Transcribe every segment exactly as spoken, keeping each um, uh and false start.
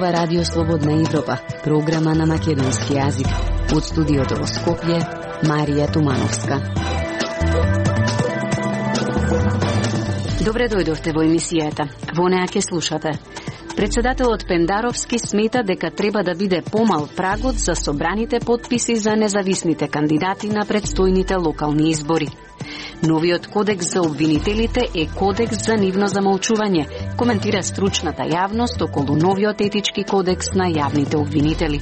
зборува Радио Слободна Европа, програма на македонски јазик. Од студиото во Скопје, Марија Тумановска. Добре дојдовте во емисијата. Во неа ќе слушате. Председателот Пендаровски смета дека треба да биде помал прагот за собраните потписи за независните кандидати на предстојните локални избори. Новиот кодекс за обвинителите е кодекс за нивно замолчување, коментира стручната јавност околу новиот етички кодекс на јавните обвинители.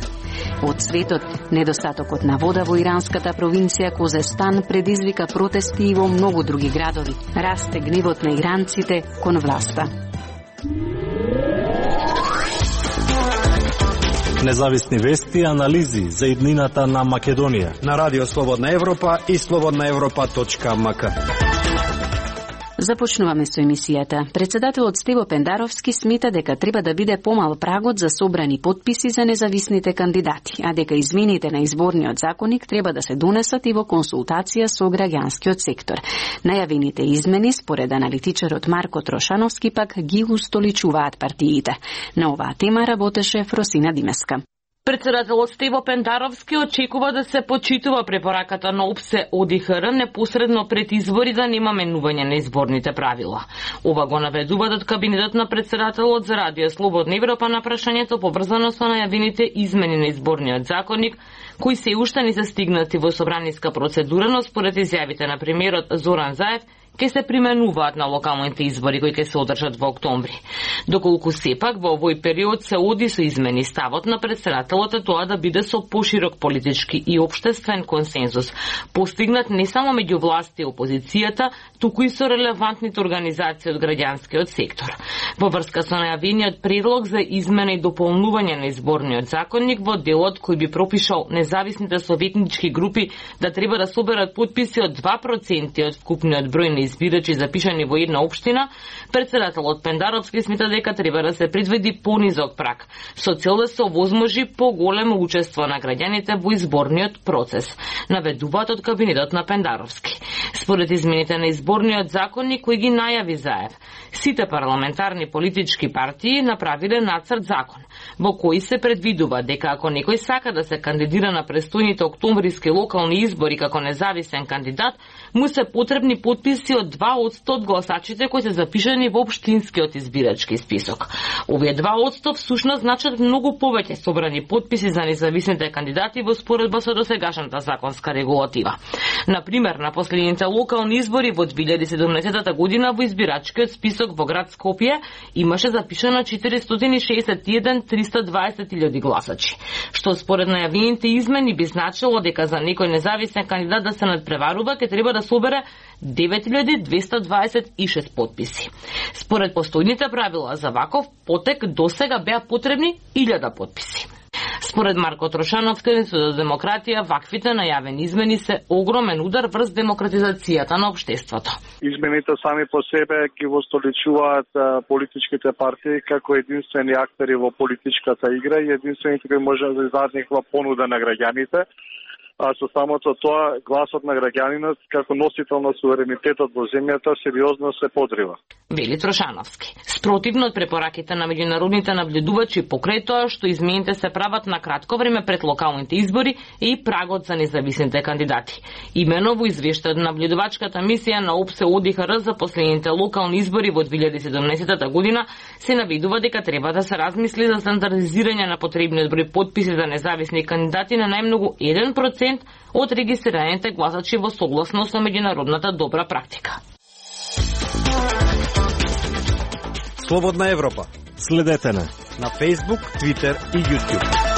Од светот, недостатокот на вода во иранската провинција Козестан предизвика протести и во многу други градови. Расте гневот на иранците кон власта. Независни вести и анализи за иднината на Македонија на Радио Слободна Европа и слободна европа точка ем ка. Започнуваме со емисијата. Председателот Стево Пендаровски смета дека треба да биде помал прагот за собрани потписи за независните кандидати, а дека измените на изборниот законник треба да се донесат и во консултација со граѓанскиот сектор. Најавените измени, според аналитичарот Марко Трошановски, пак ги устоличуваат партиите. На оваа тема работеше Фросина Димеска. Председателот Стево Пендаровски очекува да се почитува препораката на ОПСЕ ОДИХР непосредно пред избори да нема менување на изборните правила. Ова го наведуваат од кабинетот на председателот за Радио Слободна Европа на прашањето поврзано со најавените измени на изборниот законник, кои се уште не се стигнати во собраниска процедура, но според изјавите на премиерот Зоран Заев ќе се применуваат на локалните избори кои ќе се одржат во октомври. Доколку сепак во овој период се оди со измени, ставот на председателот е тоа да биде со поширок политички и општествен консензус, постигнат не само меѓу власт и опозицијата, туку и со релевантните организации од граѓанскиот сектор. Во врска со најавениот предлог за измена и дополнување на изборниот законник во делот кој би пропишал независните советнички групи да треба да соберат потписи од два проценти од вкупниот број на избирачи запишани во една општина, председателот Пендаровски смета дека треба да се предвиди понизок праг, со цел да се овозможи поголемо учество на граѓаните во изборниот процес, наведуваат од кабинетот на Пендаровски. Според измените на изборниот законник кој ги најави Заев, сите парламентарни политички партии направиле нацрт закон, во кој се предвидува дека ако некој сака да се кандидира на престојните октомвриски локални избори како независен кандидат, му се потребни потписи од два одсто од гласачите кои се запишани во општинскиот избирачки список. Овие два одсто всушност значат многу повеќе собрани потписи за независните кандидати во споредба со досегашната законска регулатива. Например, на последните локални избори во две илјади и седумнаесета година во избирачкиот список во град Скопје имаше запишано четиристотини и шеесет и еден триста дваесет илјади гласачи, што според најавените измени би значило дека за некој независен кандидат да се надпреварува ќе треба да собере девет илјади двесте дваесет и шест потписи. Според постојните правила за ваков потек досега беа потребни илјада потписи. Според Марко Трошановски, Институтот за демократија, ваквите најавени измени се огромен удар врз демократизацијата на општеството. Измените сами по себе ги востоличуваат политичките партии како единствени актери во политичката игра и единствените кои може да издадат некаква понуда на граѓаните. А со самото тоа, гласот на граѓанинот како носител на суверенитетот во земјата сериозно се подрива. Вели Трошановски. Спротивно од препораките на меѓународните наблюдувачи покрај тоа што измените се прават на кратко време пред локалните избори и прагот за независните кандидати. Имено во извештајот на наблюдувачката мисија на ОПСЕ ОДИХР за последните локални избори во две илјади и седумнаесета година се наведува дека треба да се размисли за стандардизирање на потребниот број потписи за независни кандидати на најмногу еден процент од регистрираните гласачи во согласност со меѓународната добра практика. Слободна Европа. Следете на на Facebook, Twitter и YouTube.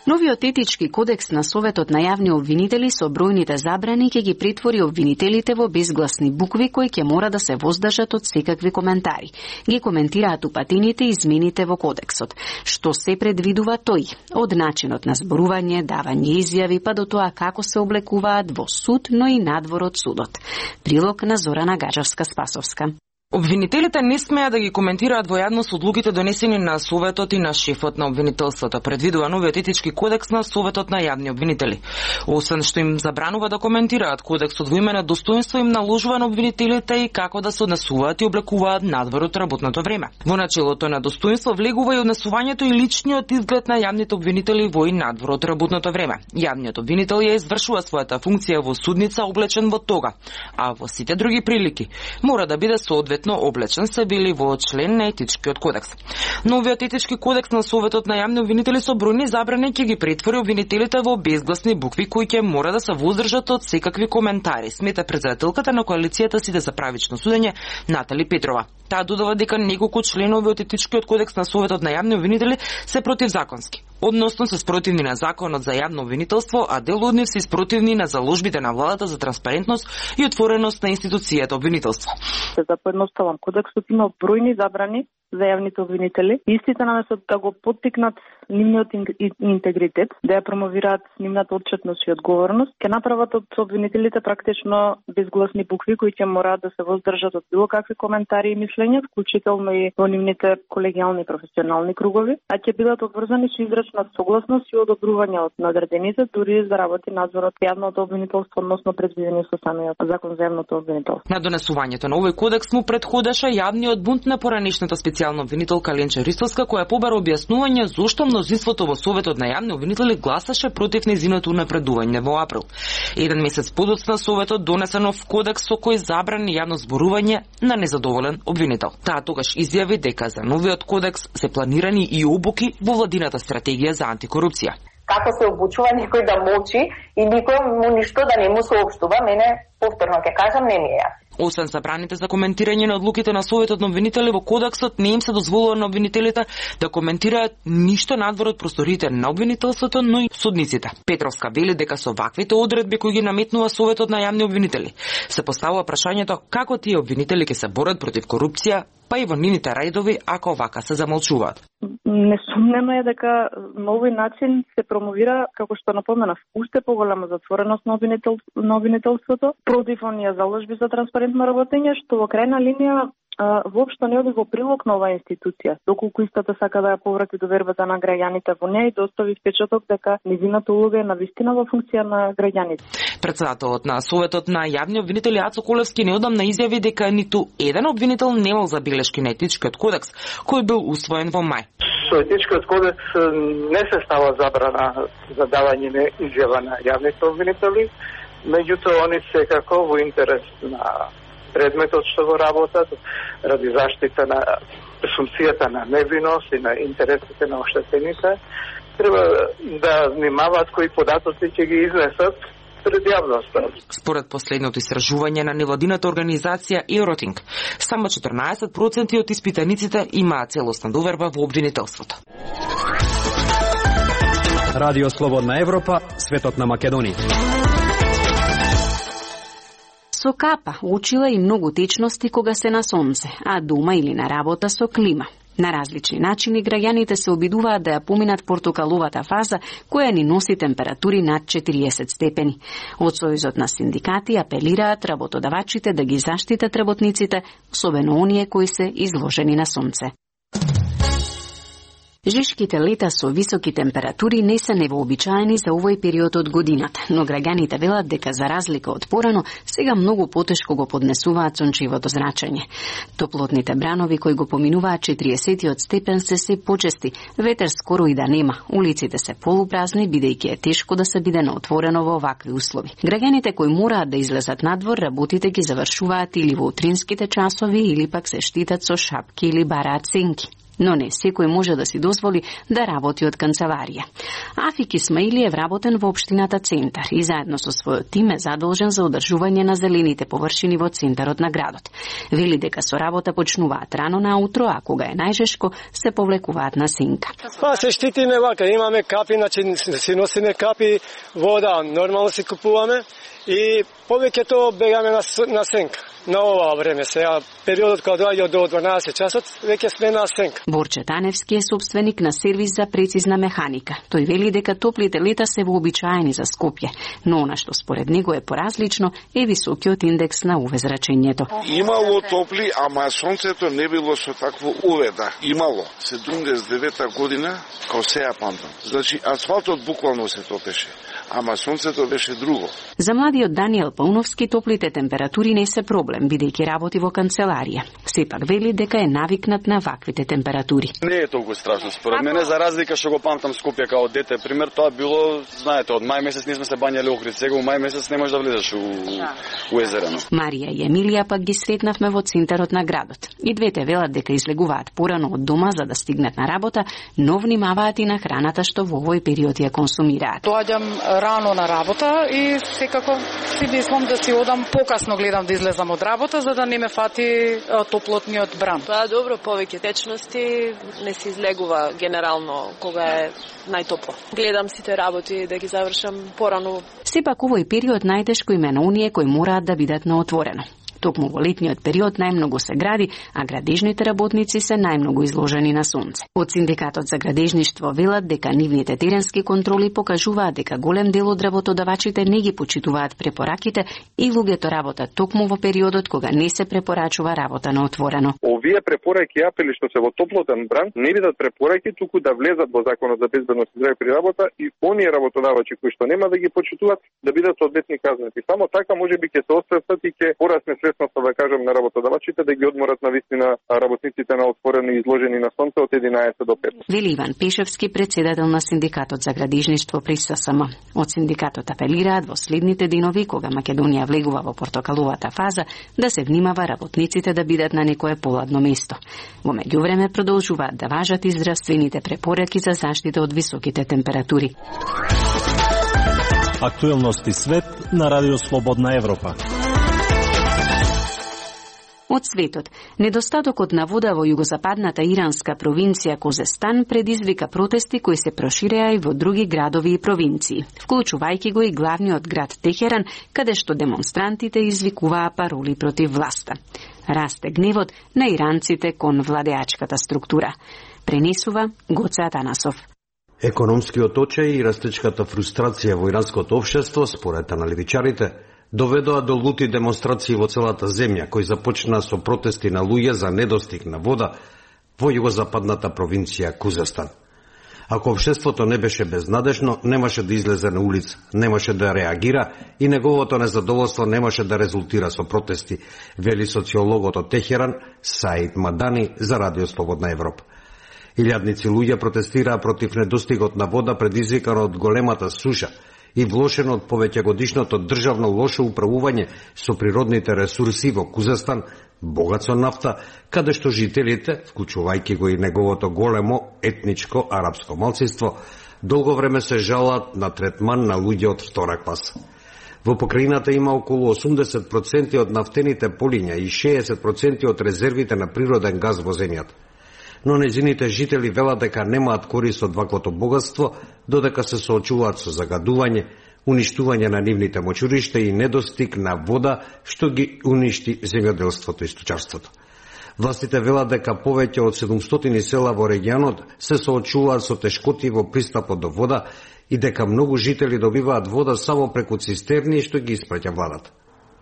Новиот етички кодекс на Советот на јавни обвинители со бројните забрани ќе ги претвори обвинителите во безгласни букви кои ќе мора да се воздржат од секакви коментари. Ги коментираат упатените измените во кодексот. Што се предвидува тој? Од начинот на зборување, давање изјави, па до тоа како се облекуваат во суд, но и надвор од судот. Прилог на Зорана Гаџевска-Спасовска. Обвинителите не смеа да ги коментираат во јавност одлуките донесени на Советот и на шефот на обвинителството, предвидува новиот етички кодекс на Советот на јавни обвинители. Освен што им забранува да коментираат, кодексот во име на достоинство им наложува на обвинителите и како да се однесуваат и облекуваат надвор од работното време. Во начелото на достоинство влегува и однесувањето и личниот изглед на јавните обвинители во и надвор од работното време. Јавниот обвинител ја извршува својата функција во судница облечен во тога, а во сите други прилики мора да биде соодветно облечен, се били во член на етичкиот кодекс. Новиот етички кодекс на Советот на јавни обвинители со бројни забрани ќе ги претвори обвинителите во безгласни букви кои ќе мора да се воздржат од секакви коментари, смета председателката на коалицијата Сите за правично судење Натали Петрова. Таа додава дека неколку членови од етичкиот кодекс на Советот на јавни обвинители се противзаконски, односно се спротивни на законот за јавно обвинителство, а дел од нив се спротивни на заложбите на владата за транспарентност и отвореност на институцијата обвинителство. За поедноставам, кодексот има бројни забрани за јавните обвинители. Истите наместо да го поттикнат нивниот интегритет, да ја промовираат нивната отчетност и одговорност, ќе направат од обвинителите практично безгласни букви кои ќе мораат да се воздржат од било какви коментари и мислења, вклучително и во нивните колегијални и професионални кругови, а ќе бидат обврзани со изречна согласност и одобрување од надредените, дури за работи надзорот јавното обвинителство, односно предвидени со самиот закон за јавното обвинителство. На донесувањето на овој кодекс му претходеше јавниот бунт на поранешната специјална обвинителка Ленче Ристовска, која побара објаснување зошто мнозинството во Советот на јавни обвинители гласаше против нејзиното унапредување во април. Еден месец подоцна Советот донесе нов кодекс со кој забрани јавно зборување на незадоволен обвинител. Таа тогаш изјави дека за новиот кодекс се планирани и обуки во владината стратегија за антикорупција. Како се обучува некој да молчи и никој му ништо да не му соопштува, мене повторно ќе кажам не ми е јасно. Освен забраните за коментирање на одлуките на Советот на обвинители во кодексот, не им се дозволува на обвинителите да коментираат ништо надвор од просториите на обвинителството, но и судниците. Петровска вели дека со ваквите одредби кои ги наметнува Советот на јавни обвинители се поставува прашањето како тие обвинители ќе се борат против корупција, па и во нивните редови ако вака се замолчуваат. Несумнено е дека на овој начин се промовира, како што напоменав, уште поголема затвореност на, обвинител, на обвинителството против оние заложби за транспарентно работење, што во крајна линија воопшто не оди во прилог на оваа институција, доколку истата сака да ја поврати довербата на граѓаните во неја и да остави впечаток дека нејзината улога е навистина во функција на граѓаните. Председателот на Советот на јавни обвинители Ацо Колевски неодамна изјави дека ниту еден обвинител немал забелешки на етичкиот кодекс, кој бил усвоен во мај. Со етичкиот кодекс не се става забрана за давање на изјава на јавните обвинители, меѓутоа они секако во интерес на предметот што го работат, ради заштита на пресумцијата на невиност и на интересите на оштетените, треба да внимаваат кои податоци ќе ги изнесат пред јавноста. Според последното истражување на невладината организација Евротинг, само четрнаесет проценти од испитаниците имаат целосна доверба во обвинителството. Радио Слободна Европа, светот на Македонија. Со капа учила и многу течности кога се на сонце, а дома или на работа со клима. На различни начини граѓаните се обидуваат да ја поминат портокаловата фаза која ни носи температури над четириесет степени. Од Сојузот на синдикати апелираат работодавачите да ги заштитат работниците, особено оние кои се изложени на сонце. Жешките лета со високи температури не се невообичаени за овој период од годината, но граѓаните велат дека за разлика од порано, сега многу потешко го поднесуваат сончевото зрачење. Топлотните бранови кои го поминуваат четириесетиот степен се се почести, ветер скоро и да нема, улиците се полупразни бидејќи е тешко да се биде на отворено во овакви услови. Граѓаните кои мораат да излезат надвор, работите ги завршуваат или во утринските часови или пак се штитат со шапки или бараат сенки. Но не секој може да си дозволи да работи од канцеларија. Афик Исмаилиев работен во општината Центар и заедно со својот тим е задолжен за одржување на зелените површини во центарот на градот. Вели дека со работа почнуваат рано наутро, а кога е најжешко се повлекуваат на сенка. Па се штитиме вака, имаме капи, значи си носиме капи, вода, нормално си купуваме и повеќето бегаме на, на сенка. на ова време сега периодот кога доаѓа до дванаесет часот веќе сме на сенка. Борче Таневски е собственик на сервис за прецизна механика. Тој вели дека топлите лета се вообичаени за Скопје, но она што според него е поразлично е високиот индекс на УВ зрачењето. Имало топли, ама сонцето не било со такво УВ, да. Имало седумдесет и девета година, као сеја памтам. Значи асфалтот буквално се топеше, ама сонцето беше друго. За младиот Даниел Пауновски топлите температури не се проблем, бидејќи работи во канцеларија. Сепак вели дека е навикнат на ваквите температури. Не е толку страшно според мене, за разлика што го памтам Скопје као дете. Пример, тоа било, знаете, од мај месец не сме се бањали Охрид, сега у мај месец не можеш да влезеш у, у езерено. Марија и Емилија пак ги сретнавме во центарот на градот. И двете велат дека излегуваат порано од дома за да стигнат на работа, но внимаваат и на храната што во овој период ја консумираат. Доаѓам рано на работа и секако си мислам да си одам покасно, гледам да излезам од работа за да не ме фати топлотниот бран. Тоа е добро, повеќе течности, не се излегува генерално кога е најтопло. Гледам сите работи да ги завршам порано. Сепак овој период најтешко им е на оние кои мораат да бидат на отворено. Токму во летниот период најмногу се гради, а градежните работници се најмногу изложени на сонце. Од Синдикатот за градежништво велат дека нивните теренски контроли покажуваат дека голем дел од работодавачите не ги почитуваат препораките и луѓето работат токму во периодот кога не се препорачува работа на отворено. Овие препораки и апели што се во топлотен бран не бидат препораки, туку да влезат во Законот за безбедност и здраве при работа и оние работодавачи кои што нема да ги почитуваат да бидат соодветни казнети. Само така можеби ќе се освестат и ќе порасне свесноста, да кажем, на работодавачите да ги одморат на вистина работниците на отворено и изложени на сонце од единаесет до пет. Вели Иван Пешевски, председател на Синдикатот за градежништво при ССМ. Од синдикатот апелираат во следните денови, кога Македонија влегува во портокаловата фаза, да се внимава работниците да бидат на некое поладно место. Во меѓувреме продолжуваат да важат и здравствените препораки за заштита од високите температури. Актуелности свет на Радио Слободна Европа. Од светот, недостатокот на вода во југозападната иранска провинција Козестан предизвика протести кои се проширеа и во други градови и провинции, вклучувајќи го и главниот град Техеран, каде што демонстрантите извикуваа пароли против власта. Расте гневот на иранците кон владеачката структура. Пренесува Гоце Атанасов. Економскиот очај и растечката фрустрација во иранското општество, според аналитичарите, доведоа до лути демонстрации во целата земја, кои започнаа со протести на луѓе за недостиг на вода во југозападната провинција Кузестан. Ако општеството не беше безнадежно, немаше да излезе на улица, немаше да реагира и неговото незадоволство немаше да резултира со протести, вели социологот од Техеран Саид Мадани за Радио Слободна Европа. Илјадници луѓе протестираа против недостигот на вода предизвикан од големата суша и влошено од повеќегодишното државно лошо управување со природните ресурси во Кузестан, богат со нафта, каде што жителите, вклучувајќи го и неговото големо етничко арапско малцинство, долго време се жалат на третман на луѓе од втора класа. Во покрајината има околу осумдесет проценти од нафтените полиња и шеесет проценти од резервите на природен газ во земјата. Но незините жители велат дека немаат корист од ваквото богатство, додека се соочуваат со загадување, уништување на нивните мочуришта и недостиг на вода, што ги уништи земјоделството и сточарството. Властите велат дека повеќе од седумстотини села во регионот се соочуваат со тешкоти во пристапот до вода и дека многу жители добиваат вода само преку цистерни што ги испраќа владата.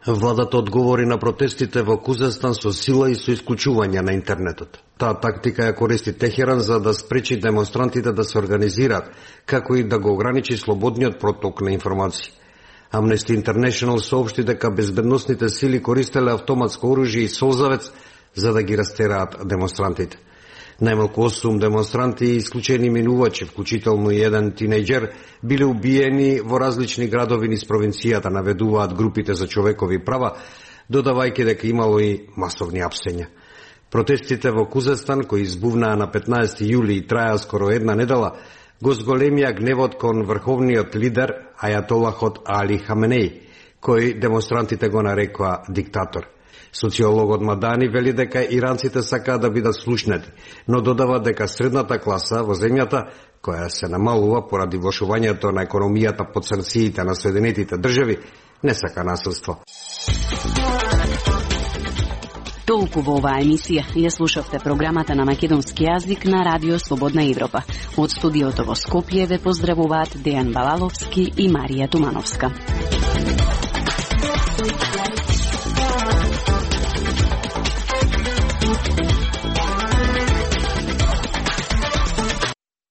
Владата одговори на протестите во Кузестан со сила и со исклучување на интернетот. Таа тактика ја користи Техеран за да спречи демонстрантите да се организираат, како и да го ограничи слободниот проток на информации. Amnesty International соопшти дека безбедносните сили користеле автоматско оружје и солзавец за да ги растераат демонстрантите. Најмалку осум демонстранти и исклучени минувачи, вклучително и еден тинејџер, биле убиени во различни градови низ провинцијата, наведуваат групите за човекови права, додавајќи дека имало и масовни апсења. Протестите во Кузестан, кои избувнаа на петнаесети јули и траја скоро една недела, го зголемија гневот кон врховниот лидер Ајатолахот Али Хаменеј, кој демонстрантите го нарекоа диктатор. Социологот Мадани вели дека иранците сакаат да бидат слушнати, но додава дека средната класа во земјата, која се намалува поради влошувањето на економијата под санкциите на Соединетите држави, не сака насилство. Толку во оваа емисија. Ја слушавте програмата на македонски јазик на Радио Слободна Европа. Од студиото во Скопје ве поздравуваат Дејан Балаловски и Марија Тумановска.